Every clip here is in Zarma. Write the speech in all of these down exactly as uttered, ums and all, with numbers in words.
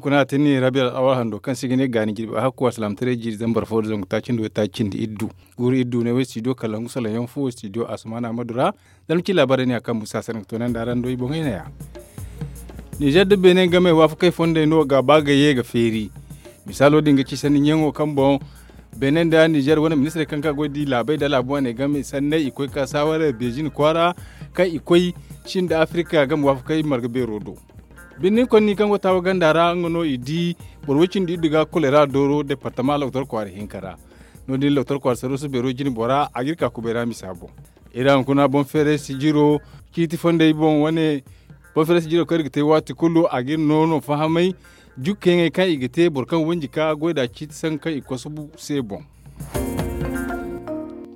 Kuna a tinni rabi al'awar hando kaŋ se i ga ne gaani jirbi a hakku alsilaamataray jiiri zambar fo nda zangu taaci nda way taaci cindi iddu. Guuru iddu ne way stidiyo kalangu salaŋ yaŋ fo stidiyo asumaana amadu ra. Zama ci laabaarey ne a kaŋ musa sanaŋ ga toonandi araŋ do i boŋey ne- ya. Nizer nda beene game waafakey fondey no ga ba ga ye ga feeri. Misaalo din ga ci sanni ɲaŋo kaŋ boŋ beene nda nizer wane ministirey kaŋ ga goy da i laabey nda laabu wane game sanney i koy ka saaware beezin kwaara kaŋ i koy cin nda afirika game waafakey marga beero do. Birni konni kaŋ go taawa ganda ra nga no i di boro way cindi iddu ga kolera dooro departama loktor kwaara hinka ra. No- din loktor kwaara saruusu beero jine bora a ga iri ka kubay ra misa boŋ. Iri hunkuna boŋ feeray sijiro ciiti fondey boŋ wane. Boŋ feeray sijiro kaŋ iri ga te waati kulu a ga iri noono fahamay jukkayaŋey kaŋ i ga te boro kaŋ wanji ka goy nd'a ciiti sangu kaŋ i kosobu se boŋ.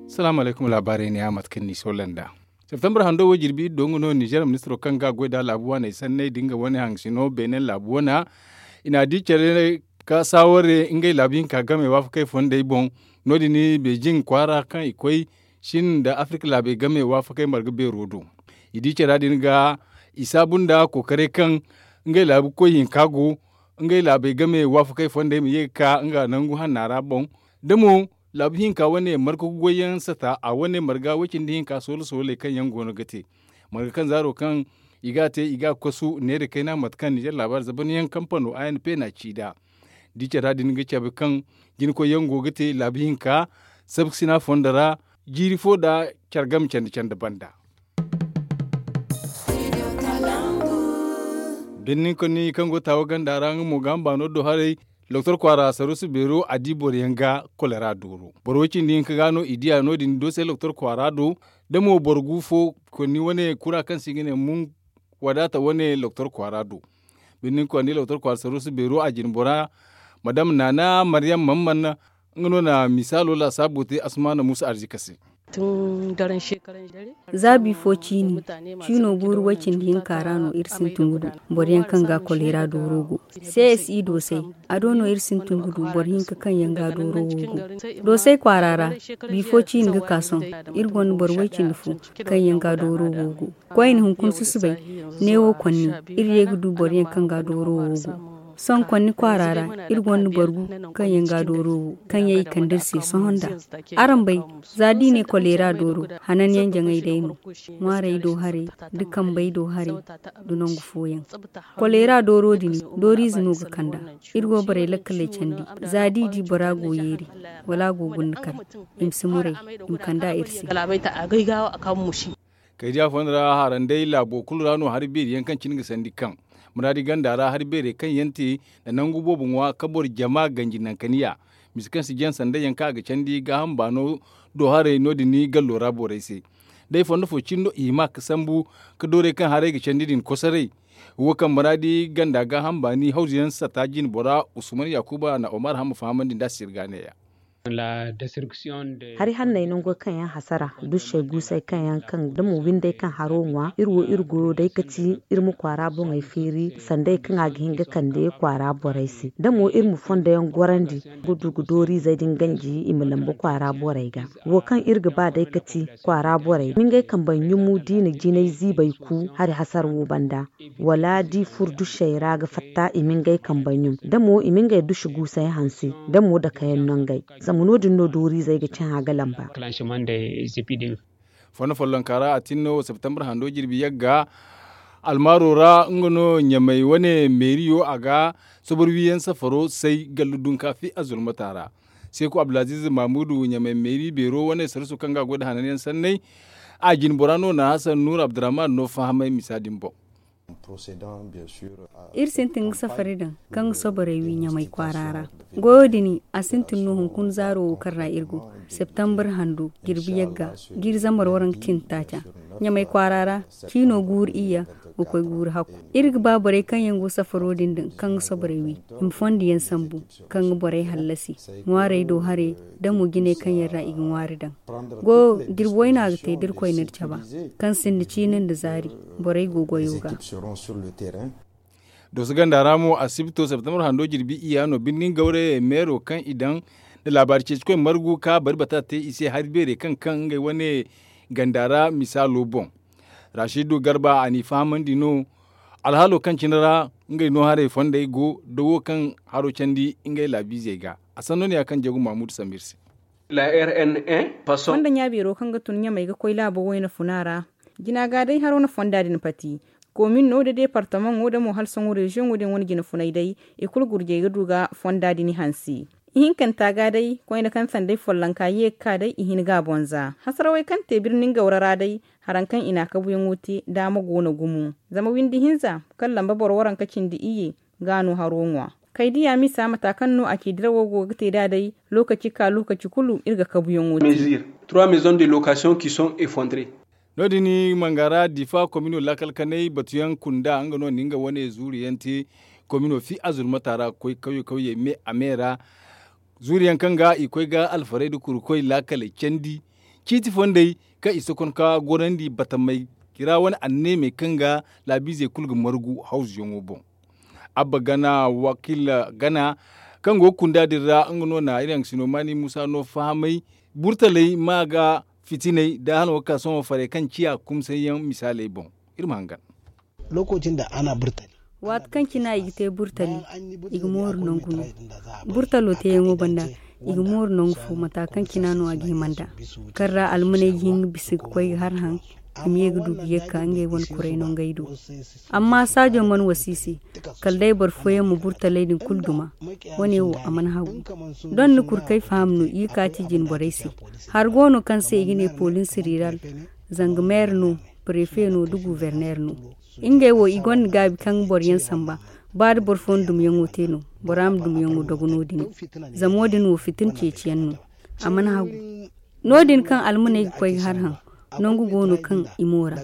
Salaamu alaykum laabaarey ne- ya mate kaŋ ni soola nd'a. Septembar hando wo jirbi iddo nga no nizer ministiro kaŋ ga goy nd'a laabu waaney sanney nda nga wane haŋ sino beene laabu wana. I n'a di care ka saaware ngey laabu hinka game waafakey fondey boŋ. No- din beejin kwaara kaŋ i koy cin nda afirika laabey game waafakey marga beero do. I di cara din ga i saabu nda kookaray kaŋ ngey laabu koy hinka go ngey laabey game waafakey fondey ma ye ga ka nga nangu hanna ra boŋ. Da mo laabu hinka wane marga goyyaŋ sata a wane marga way cindi hinka soola sooley kaŋ yaŋ go no ga te marga kaŋ zaaro kaŋ i ga a te i ga a kosu neera kayna mate kaŋ ninzeer laabaari zabanyaŋ kampano a n p n'a ci nd'a. Da i care ra din ga cabe kaŋ jinakoyyaŋ go ga te laabu hinka sabkasina fondo ra jiiri fo nda care game candi candi banda. Birnin konni kaŋ go taawa ganda ra nga mo ga hamba no do haray. Doktor kwaara saruusu beero a di boro yaŋ ga kolera dooro boro way cindi hinka ga no i diya no- din do se doktor kwaara do. Da mo boro gu fo konni wane kura kaŋ se i ga ne mun wadaata wane doktor kwaara do. Birnin konni doktor kwaara saruusu beero a jine bora madam naana maryam man man nga no na misaalo laasaabo te asmaana muusa arzika se. Za bifo ciini ciino guuru way cindi hinka ra no iri sintin ga du boro yaŋ kaŋ ga kolera dooro go. Csi doosay a do no iri sintin ga du boro hinka kaŋ yaŋ ga dooro wo go. Doosay kwaara ra bifo ciini ga ka sohõ iri gonda boro way cindi fo kaŋ yaŋ ga dooro wo go. Koyne hunkuna susubay neewo konni iri ye ga du boro yaŋ kaŋ ga dooro wo go. Sohõ konni kwaara ra iri gonda boro gu kaŋ yaŋ ga dooro wo kaŋ yaŋ i kande iri se sohõ nd'a. Araŋ bay za da i ne koleera dooro hananyaŋ jaŋay day no. Ŋwaarey do haray da kambey do haray da nangu fooyaŋ. Koleera dooro din dooriize no ga kand'a. Iri go borey lakkaley candi za da i di bora go yeeri wala a go gunda kar i ma si muray i ma kand'a iri se. Kaydiya fooyaŋ ra haranday laabo kulu ra no hari beeri yaŋ kaŋ cine ga sandi kaŋ muraadi ganda ra hari beerey kaŋ yaŋ te nda nangu boobo ŋwa ka boro jama ganji nankaniya. Mise kaŋ si jaŋ sanday yaŋ kaŋ a ga candi gaaham baano do haray no- din gallo ra borey se. Day fondo fo cine no i hima ga sambu ga doorey kaŋ haray ga candi din kosoray. Wo kaŋ muraadi ganda gaaham baani hawzu yaŋ sata jine bora usman yaakuba na omar hamma fahamandi nd'a sirga neeya. Hari hanney nango kaŋ yaŋ hasara dušey guusey kaŋ yaŋ kaŋ da mo windey kaŋ haro ŋwa iri wo iri goyo day ka ti iri ma kwaara boŋey feeri sanday kaŋ a ga hin ga kande kwaara borey se da mo iri ma fondo yaŋ gorandi ga du ga dooriizey din ganji i ma lambu kwaara borey ga. Wo kaŋ iri ga ba day ka ti kwaara borey ma ngey kambey ɲumu da i na jinay ziibey ku hari hasara wo banda wala da i furo dušey ra ga fatta i ma ngey kambey ɲum da mo i ma ngey duši guusey hanse da mo dakayaŋ nangey. Zama no- din no dooriizey ga cahã ga lamba. Fondo follonka ra a tin no septembre hando jirbi yagga almaaro ra nga no ɲamey wane meeriyo a ga sobor wiyaŋ safaro say gallu dunka fi azulmata ra. Seeku abdulaziiz mamuudu ɲamey meeri beero wane sarsu kaŋ ga a goy nda hananyaŋ sanney. A jine bora no na hasan nuur abdurrahman no fahamay misa din boŋ. Iri sintin ga safari daŋ kaŋ ga soborey wi ɲamey kwaara ra. Goyo din a sintin no hunkuna zaaro wo kaŋ ra iri go septembre hando jirbi yagga jiiri zambar waranka cindi taaca. Ɲamey kwaara ra ciino guuru iyya ga koy guuru hakku. Iri ga ba borey kaŋ yaŋ go safaro din daŋ kaŋ ga soborey wi i ma fondo yaŋ sambu kaŋ ga borey hallasi ŋwaarey do haray da mo jinay kaŋ yaŋ ra i ga ŋwaari daŋ. Goyo jirbi wayna ga te da iri koyne iri caba kaŋ sinda ciini nda zaari borey go goyo ga. Dooso ganda ra mo asibto septembre hando jirbi iyya no birnin gawray meero kaŋ i daŋ nda laabaari ceecikoy margu ka bari bata te i se hari beerey kaŋ kaŋ ngey wane ganda ra misaalo boŋ. Rasidu garba a n'i fahamandi no Alhaalo kaŋ cine ra ngey no haray fondey go da wo kaŋ haro candi ngey laabiizey ga. A sanno ne ya kaŋ jeegu mahamudu sambu iri se. Fonda ɲaabeero kaŋ ga tun ɲamey ga koy laabo wayna funa ra, jina ga day haro na fonda din pati. Koomin no da deepartamaŋo da mo hala sohõ reziyoŋo din wane jina funay day, i kulu gurjey ga du ga fonda din hanse. Ihinkanta ga day koyne kaŋ sanday follonka ye ga ka day i hin ga a bonza hasarawey kaŋ te birni ngawra ra day. Haraŋ kaŋ i na a kabuyaŋo te daama go no gumo. Zama windi hinza kaŋ lamba boro waranka cindi iyye ga no haro ŋwa. Kay diya misa mata kaŋ no a ci dirawo go ga te nd'a day. Lookaci ka lookaci kulu iri ga kabuyaŋo te. No- din mangara difa komino laakal kanay batuyaŋ kunda nga no na nga wane zuuri yaŋ te. Komino fi azurmata ra ga koy kawye kawye me a me ra. Zuuri yaŋ kaŋ ga i koy ga alfarey nda kurkoy laakaley candi ciiti fondey kaŋ i sokonka gorandi batamey ra wane anneemey kaŋ ga laabiizey kulu ga margu hawzuyaŋo boŋ. Abba gana wakiila gana kaŋ go ga kunda din ra nga no na iri haŋ sino maani muusa no fahamay. Burtaley ma ga fitiney da hala wo ga ka sohõ farey kaŋ ciya kumsayyaŋ misaaley boŋ. Iri ma hangan. Waati kaŋ cina i ga te burtali i ga mooru nangu no. Burtalo teeyaŋo banda i ga mooru nangu fo mata kaŋ cina no a ga hima nd'a. Kaŋ ra almaney ga hin ga bisa ga koy ga har haŋ i ma ye ga du ga ye ga ka ngey wane kuray no ngey do. Amma saajo mana wasa i se kala day boro fooyaŋ ma burtaley din kulu duma. Wane wo a mana hagu. Doŋ ni kulu kaŋ ay faham no i ga ka ci jine borey se. Hari go no kaŋ se i ga ne poliisi riiral, zanga meer no, parefe no nda guuverneer no. Ngey wo i gonda gaabi kaŋ boroyaŋ samba. Ba da boro fooyaŋ dumyaŋo te no bora ma dumyaŋo dogo no- din. Zama wo- din wo fitina ceeciyaŋ no. A mana hagu. No- din kaŋ almaney ga koy ga har haŋ, nangu go no kaŋ i moora.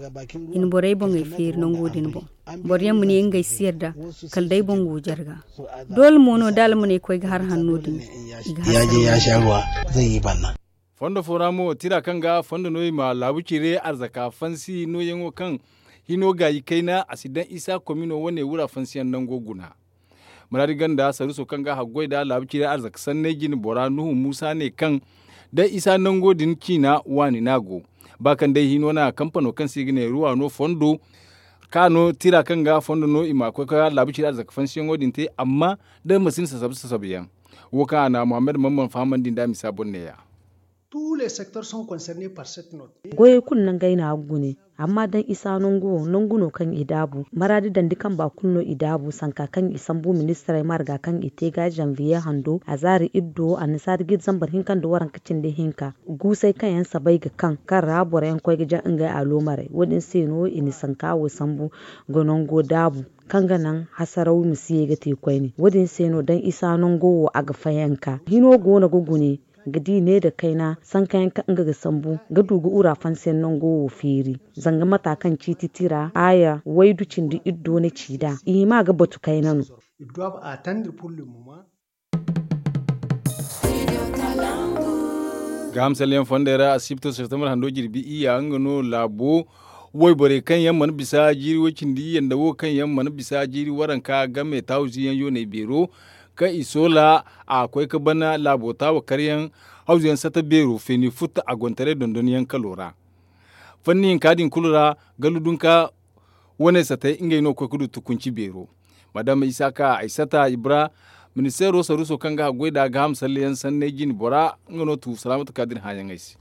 I na borey boŋey feeri nango din boŋ. Boroyaŋ ma ne ngey si yarda kala day boŋ go jarga. Doole mo no da almaney koy ga har haŋ no- din i ga har. Fondo fo ra mo tira kaŋ ga fondo no i ma laabu cire arzaka fansi nooyaŋo kaŋ hino gaayi kayna a si daŋ isa komino wane wura fansiyaŋ nango guna. Muraadi ganda saruuso kaŋ ga haggoy nda laabu cire arzaka sanney jine bora nuhu muusa ne kaŋ daŋ isa nango din ciina waani no a go. Ba kaŋ day hino na kampano kaŋ se i ga ne ruwa no fondo ka no tira kaŋ ga fondo no i ma koy ga laabu cire arzaka fansiyaŋo din te amma daŋ ma sinda sasabu sasabu yaŋ. Wo kaŋ a na muhammad mamman fahamandi nd'a misa boŋ neeya. Goyey kulu nangey no a ga gune. Amma daŋ isa nangu wo nangu no kaŋ i daabu maraadi dandi kamba kulu no i daabu sanka kaŋ i sambu ministirey marga kaŋ i te ga zanviye hando a zaari iddo annasaari ga iri zambar hinka nda waranka cindi hinka. Guusey kaŋ yaŋ sabay ga kaŋ kaŋ ra boro yaŋ koy ga jaŋ ngey aloomarey wo- din se no i na sanka wo sambu ga nango daabu kaŋ ga naŋ hasaraw ma si ye ga te koyne wo- din se no daŋ isa nango wo a ga fayanka hino go no ga gune ga di ne nda kayna sankayaŋ kaŋ nga ga sambu ga du ga wura fansiyaŋ nango wo feeri. Zanga mata kaŋ ciiti tira aaya waydu cindi iddo na ci nd'a i hima ga batu kayna no. Gaaham salleyaŋ fondey ra asibto septembre hando jirbi iyya nga no laabo wayborey kaŋ yaŋ mana bisa jiiri way cindi iyya nda wo kaŋ yaŋ mana bisa jiiri waranka game taawu ziyaŋ yooney beero kaŋ i soola a koy ga ban laabo taawa karyaŋ hawzuyaŋ sata beero feeni futta a gontaray dondonyaŋ kalo ra. Fanni hinka din kulu ra gallu dunka wane satey ngey no ga koy ga du tukunci beero. Madama isaka aysata ibra ministeero saruuso kaŋ ga haggoy nd'a gaaham salleyaŋ sanney jine bora nga no tu salaamatu ka da iri hããyaŋey se.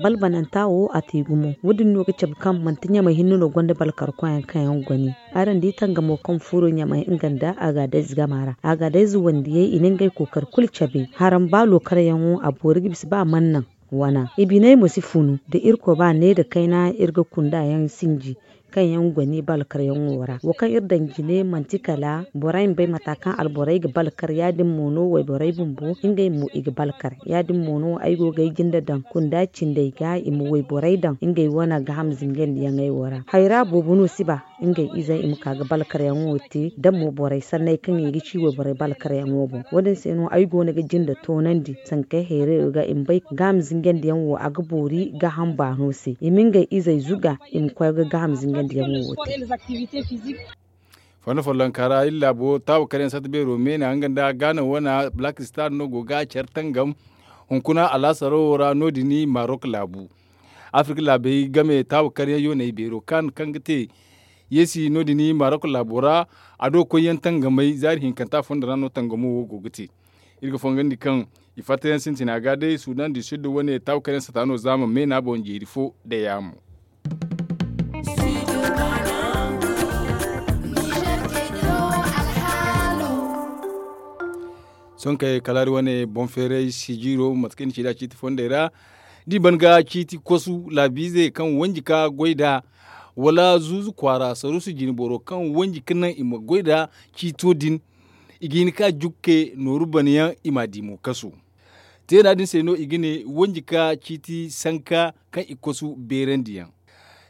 Balbananta wo a te gumo wo- din no ga cabe kaŋ manti ɲamey hinne no gonda balkar koyaŋ kaŋ yaŋ goni. Araŋ di tangamo kaŋ furo ɲamey nga nda agadayze gama ra agadayze wandiyey i na ngey kookari kulu cabe haraŋ ba lookaryaŋo a boori ga bisa ba a mana naŋ. Wana i biney mo si funu da irkoy ba ne nda kayna iri ga kunda yaŋ sinji kaŋ yaŋ goni balkaryaŋo ra wo kaŋ iri daŋ jine manti kala borey ma bay mata kaŋ alborey ga balkar ya- din mo no wayborey bumbo ngey mo i ga balkar ya- din mo no ay go ga ay jinde daŋ kunda cindey ga i ma wayborey daŋ ngey wane gaaham zingandiyaŋey wo ra hayra boobo no si ba ngey izey i ma ka ga balkaryaŋo te da mo borey sanney kaŋ i ga ci wayborey balkaryaŋo boŋ wo- din se no ay go no ga jinde toonandi sankey hayray ga i ma bay gaaham zingandiyaŋ wo a ga boori gaaham baano se i ma ngey izey zuga i ma koy ga gaaham zingandiyaŋo wo te. Fondo follonka ra iri laabo taabu karyaŋ sata beero meena nga nda gaana wana black star no go ga care tangam hunkuna alaasaro wo ra no- din marok laabu. Afirka laabey game taabu karyaŋ yooney beero kaŋ ga te Yeesi no- din marok laabo ra. A do koyyaŋ tangamay zaari hinkanta fondo ra no tangamo wo go ga te. Iri ga fongandi kaŋ i fattayaŋ sintina ga day sudan du sud wane taabu kayna sata no zaama me no a boŋ jeeri fo da yaamo. Sohõ kay kala iri wane boŋ feeray sijiro mate kaŋ i na ci nd'a ciiti fondey ra. Da i ban ga ciiti kosu laabiize kaŋ wanji ka goy nd'a wala zuuzu kwaara saruusu jinboro kaŋ wanji ka naŋ i ma goy nd'a ciito din. I ga hin ka jukke nooru banayaŋ i m'a di mo kasu. Teena din se no i ga ne wanji ka ciiti sanka kaŋ i kosu beerandiyaŋ.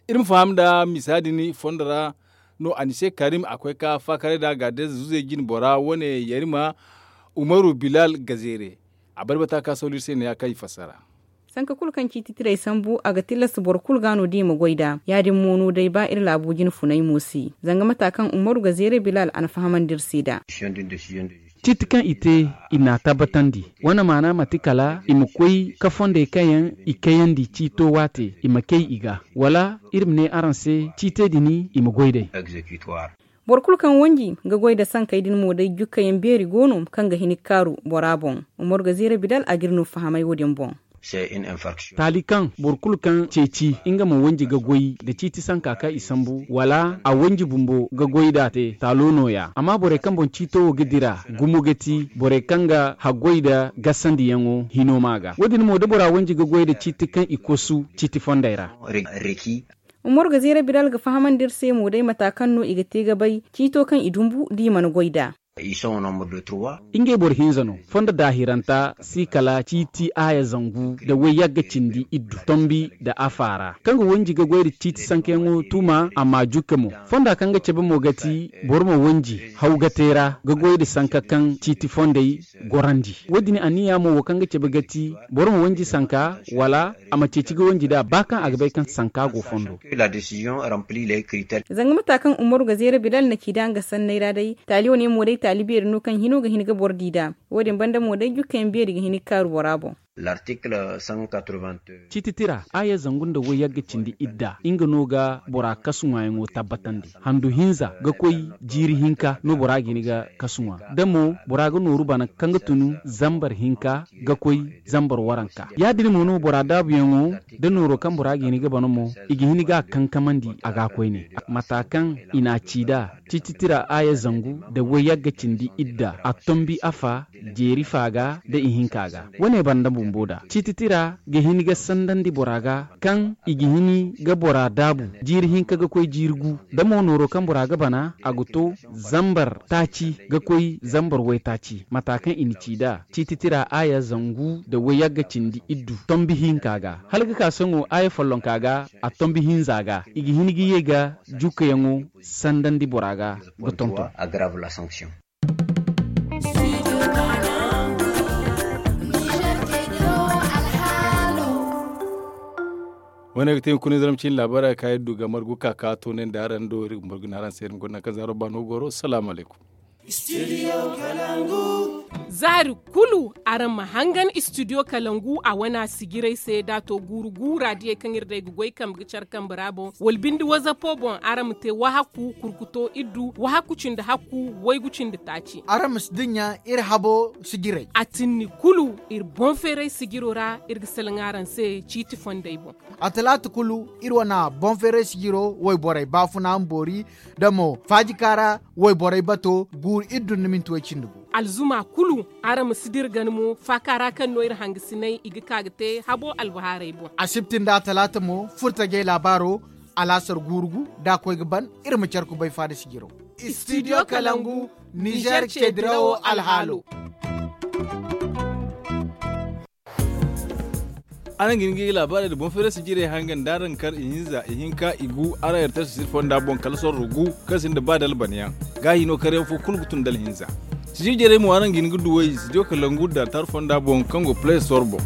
Iri ma faham nda misa din fondo ra no anise karim a koy ka faakaray nd'a gaadez zuzey jinbora wane yarima umaru bilal gazeere. A barbata ka sawlu iri se ne ya kaŋ i fassara. Sanka kulu kaŋ ciiti tirey sambu a ga tilas boro kulu ga no da i ma goy nd'a ya- din mo no day ba iri laabo jine funay mo se. Zanga mata kaŋ umaru gazeere bilal a na fahamandi iri se nd'a. Ciiti kaŋ i te i n'a tabbatandi. Wane maana manti kala i ma koy ka fondey kaŋ yaŋ i kayandi ciito waate i ma kay i ga wala iri ma ne araŋ se ciitey din i ma goy day. Boro kulu kaŋ wanji ga goy nda sankey din mo day jukkayaŋ beeri go no kaŋ ga hin ga kaaru bora boŋ. Umaru gazeere bidal a ga iri no fahamay wo- din boŋ. Taali kaŋ boro kulu kaŋ ceeci nga ma wanji ga goy nda ciiti sanka kaŋ i sambu wala a wanji bumbo ga goy nd'a te taalo nooya amma borey kaŋ boŋ ciito wo ga dira gumo ga ti borey kaŋ ga haggoy nda gasandiyaŋo hino ma ga wo- din mo da bora wanji ga goy nda ciiti kaŋ i kosu ciiti fondey ra. Umaru gazeere bidal ga fahamandi iri se mo day mata kaŋ no i ga te ga bay ciito kaŋ i dumbu da i mana goy nd'a. Ngey boro hinza no fondo daahiranta si kala ciiti aaya zangu nda wayyagga cindi iddu tombi nda afa ra kaŋ ga wanji ga goy nda ciiti sankayaŋo tuma a ma jukka mo. Fonda kaŋ ga cabe mo ga ti boro ma wanji haw ga te ra ga goy nda sanka kaŋ ciiti fondey gorandi. Wo- din anniya mo wo kaŋ ga cabe ga ti boro ma wanji sanka wala a ma ceeci ga wanji nd'a ba kaŋ a ga bay kaŋ sanka go fondo. Zanga mata kaŋ umaru ga zeera bilal na ci nd'a nga sanney ra day taali wane mo day taali beeri no kaŋ hino ga hin ga boro di nd'a. Wo- din banda mo day jukka yaŋ beeri ga hin ga kaaru bora boŋ. Ciiti tira aaya zangu nda wayyagga cindi idda nga no ga bora kasu ŋwaayaŋo tabbatandi. Handu hinza ga koy jiiri hinka no bora ga hin ga kasu ŋwa da mo bora ga nooru bana kaŋ ga tun zambar hinka ga koy zambar waranka ya- din mo no bora daabuyaŋo da nooro kaŋ bora ga hin ga bana mo i ga hin ga a kankamandi a ga koyne. Mata kaŋ i n'a ci nd'a ciiti tira aaya zangu nda wayyagga cindi idda a tombi afa jeeri fa ga nda ihinka ga. Wane banda bumbo da ciiti tira ga hin ga sandandi bora ga kaŋ i ga hin ga bora daabu jiiri hinka ga koy jiiri gu da mo nooro kaŋ bora ga bana a ga to zambar taaci ga koy zambar waytaaci mata kaŋ i na ci nd'a ciiti tira aaya zangu nda wayyagga cindi iddu tombi hinka ga hala ga ka sohõ aaya follonka ga a tombi hinza ga i ga hin ga ye ga jukkayaŋo sandandi bora ga ga tonton. Wane ga te hunkuna zarma cine laabaara ga ka iri du ga margu ka ka toonandi araŋ do iri ga margu ne araŋ se iri ma guna kaŋ zaaro baano goro salaamu alaykum. Zaari kulu araŋ ma hangan studio kalangu a wana sijiray se da a to guuru gu raadiyey kaŋ iri day ga goy kambe ga care kambe ra boŋ wala binde wazapo boŋ araŋ ma te wahakku kurkuto iddu wahakku cindi hakku waygu cindi taaci. Araŋ ma si dinya iri habo sijiray. A tinni kulu iri boŋ feeray sijiro ra iri ga salaŋ araŋ se ciiti fondey boŋ. A talaata kulu iri wana boŋ feeray sijiro wayborey baafuna boori da mo faajika ra wayborey bato guuru iri dunna minti way cindi gu. Alzuma kulu araŋ ma si dira gana mo faaka ra kaŋ no iri hangasinay i ga ka ga te habo albahaarey boŋ. Asibti nda talaata mo furtajey laabaaro alaasar guuru gu da a koy ga ban iri ma care kubay faada sijiro. Studio kalangu nizer ce dirawo alhaalo. Araŋ ga hin ga laabaarey nda boŋ feeray sijirey hangan da araŋ kar ihinza ihinka igu araŋ yartasi siri fonda boŋ kala sorro gu kaŋ sinda ba da albanayaŋ. Gaahi no karyaŋ fo kulu ga tun da alhinza. Sijir jarey mo araŋ ga hin ga duw'ey studio kalangu da tar fonda boŋ kaŋ go play store boŋ.